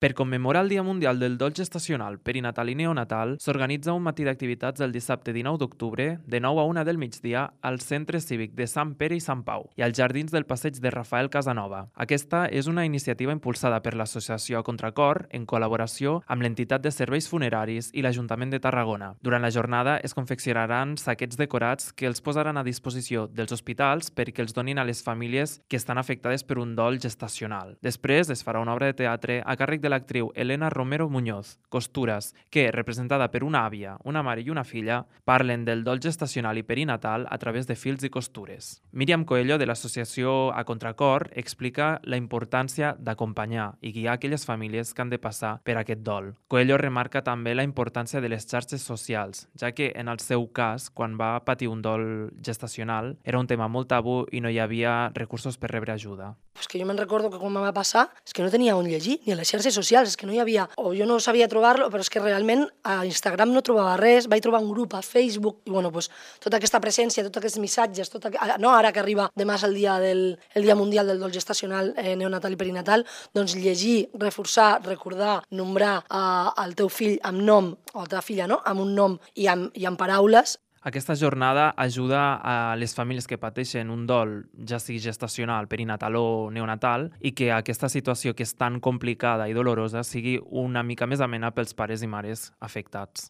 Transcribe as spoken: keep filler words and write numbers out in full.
Per commemorar el Dia Mundial del Dol Gestacional, Perinatal i Neonatal, s'organitza un matí d'activitats el dissabte dinou d'octubre, de nou a una del migdia, al Centre Cívic de Sant Pere i Sant Pau i als jardins del passeig de Rafael Casanova. Aquesta és una iniciativa impulsada per l'Associació Contracor en col·laboració amb l'entitat de serveis funeraris i l'Ajuntament de Tarragona. Durant la jornada es confeccionaran saquets decorats que els posaran a disposició dels hospitals perquè els donin a les famílies que estan afectades per un dol gestacional. Després es farà una obra de teatre a càrrec de l'actriu Elena Romero Muñoz, Costures, que, representada per una àvia, una mare i una filla, parlen del dol gestacional i perinatal a través de fils i costures. Míriam Coelho, de l'associació A Contracor, explica la importància d'acompanyar i guiar aquelles famílies que han de passar per aquest dol. Coelho remarca també la importància de les xarxes socials, ja que en el seu cas, quan va patir un dol gestacional, era un tema molt tabú i no hi havia recursos per rebre ajuda. Pues que jo me'n recordo que quan em va passar és que no tenia on llegir, ni a les xarxes socials, és que no hi havia, o jo no sabia trobar-lo, però és que realment a Instagram no trobava res, vaig trobar un grup a Facebook, i bueno, pues, tota aquesta presència, tots aquests missatges, tot aqu... no ara que arriba demà és el dia, del, el dia mundial del dol gestacional, eh, neonatal i perinatal, doncs llegir, reforçar, recordar, nombrar eh, el teu fill amb nom, o la teva filla, no?, amb un nom i amb, i amb paraules. Aquesta jornada ajuda a les famílies que pateixen un dol, ja sigui gestacional, perinatal o neonatal, i que aquesta situació que és tan complicada i dolorosa sigui una mica més amena pels pares i mares afectats.